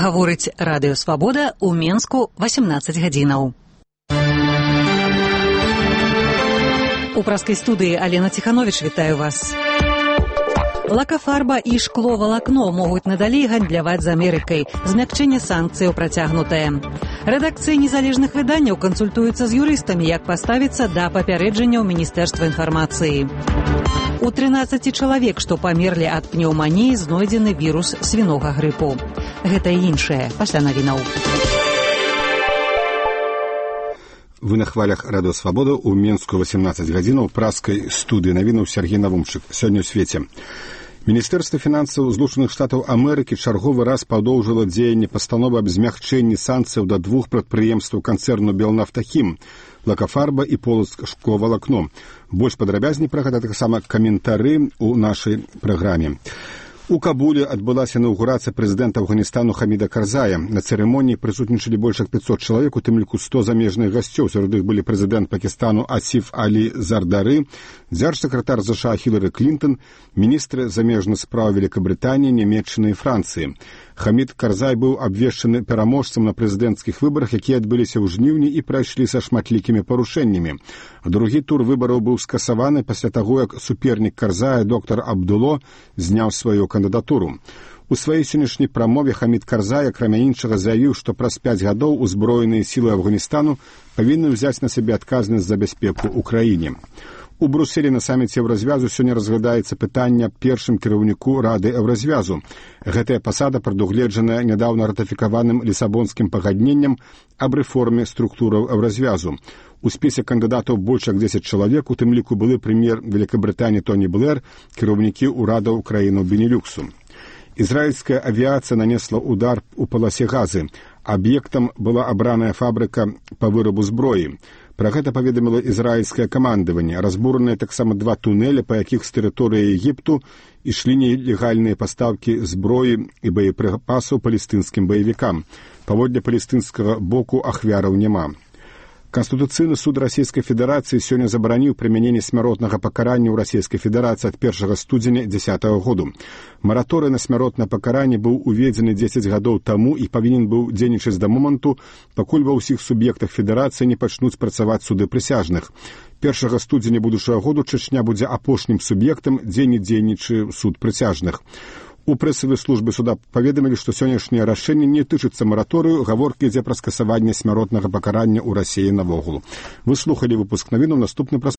Гаворыць Радыё Свабода ў Менску 18 гадзінаў. У праскай студыі Алена Ціхановіч вітаю вас. Лакафарба і шкло-валакно могуць надалей гандляваць з Амерыкай. Змякчэнне санкцыяў працягнутае. Рэдакцыі незалежных выданняў кансультуюцца з юрыстамі, як паставіцца да папярэджанняў Міністэрства інфармацыі. У 13 чалавек, што памерлі ад пнеўманіі, знойдзены вірус свінога грыпу. Гэта і іншае пасля навінаў. Вы на хвалях Радыё Свабода ў Менску 18 гадзінаў праскай студыі навінаў Сергей Навумчык. Сёння ў свеце. Міністэрства фінансаў Злучаных Штатаў Амерыкі чарговы раз падоўжыла дзеянне пастановы аб змягчэнні санкцыяў да двух прадпрыемстваў канцэрну «Белнафтахім» – «Лакафарба» і «Полацк шкло-валакно». Больш падрабязней пра гэта таксама каментары ў нашай праграме. У Кабуле адбылася інаўгурацыя прэзідэнта Афганістану Хаміда Карзая. На цырымоніі прысутнічалі больш як 500 чалавек, у тым ліку 100 замежных гасцёў. Сярод іх былі прэзідэнт Пакістану Асіф Алі Зардары, дзяржсакратар США Хілары Клінтон, міністры замежных спраў Великабрытаніі, Нямецчыны і Францыі. Хамід Карзай быў абвешчаны пераможцам на прэзідэнцкіх выбарах, якія адбыліся ў жніўні і прайшлі са шматлікімі парушэннямі. Другі тур выбараў быў скасаваны пасля таго, як супернік Карзая, доктар Абдуло, зняў сваю кандыдатуру. У сваёй сённяшняй прамове Хамід Карзай, акрамя іншага, заявіў, што праз 5 гадоў узброеныя сілы Афганістану павінны ўзяць на сябе адказнасць за бяспеку ў краіне. У Брюсселі на саміце Еўразвязу сёння разглядаецца пытанне аб першым кіраўніку Рады Еўразвязу. Гэтая пасада прадугледжаная нядаўна ратыфікаваным Лісабонскім пагадненнем аб рэформе структураў Еўразвязу. У спісе кандыдатаў больш як 10 чалавек, у тым ліку былы прэм'ер Великабрытаніі Тоні Блэр, кіраўнікі ўрадаў краінаў Бенелюксу. Ізраільская авіацыя нанесла удар у паласе Газы. Аб'ектам была абраная фабрыка па вырабу зброі. Пра гэта паведаміла ізраільскае камандаванне. Разбураныя таксама 2 тунэля, па якіх з тэрыторыі Егіпту ішлі нелегальныя пастаўкі зброі і боепрыпасаў палестынскім баевікам. Паводле палестынскага боку ахвяраў няма. Канстытуцыйны суд Расійскай Федэрацыі сёння забараніў прымяненне смяротнага пакарання ў Расійскай Федэрацыі ад 1 студзеня 2010 году. Мараторый на смяротнае пакаранне быў уведзены 10 гадоў таму і павінен быў дзейнічаць да моманту, пакуль ва ўсіх суб'ектах Федэрацыі не пачнуць працаваць суды прысяжных. 1 студзеня будучага году Чачня будзе апошнім суб'ектам, дзе не дзейнічае суд прысяжных. У прэсавай службе суда паведамілі, што сённяшняе рашэнне не тычыцца мараторыю, гаворка ідзе пра скасаванне смяротнага пакарання ў Расіі навогул. Вы слухалі выпуск навінаў, наступны праз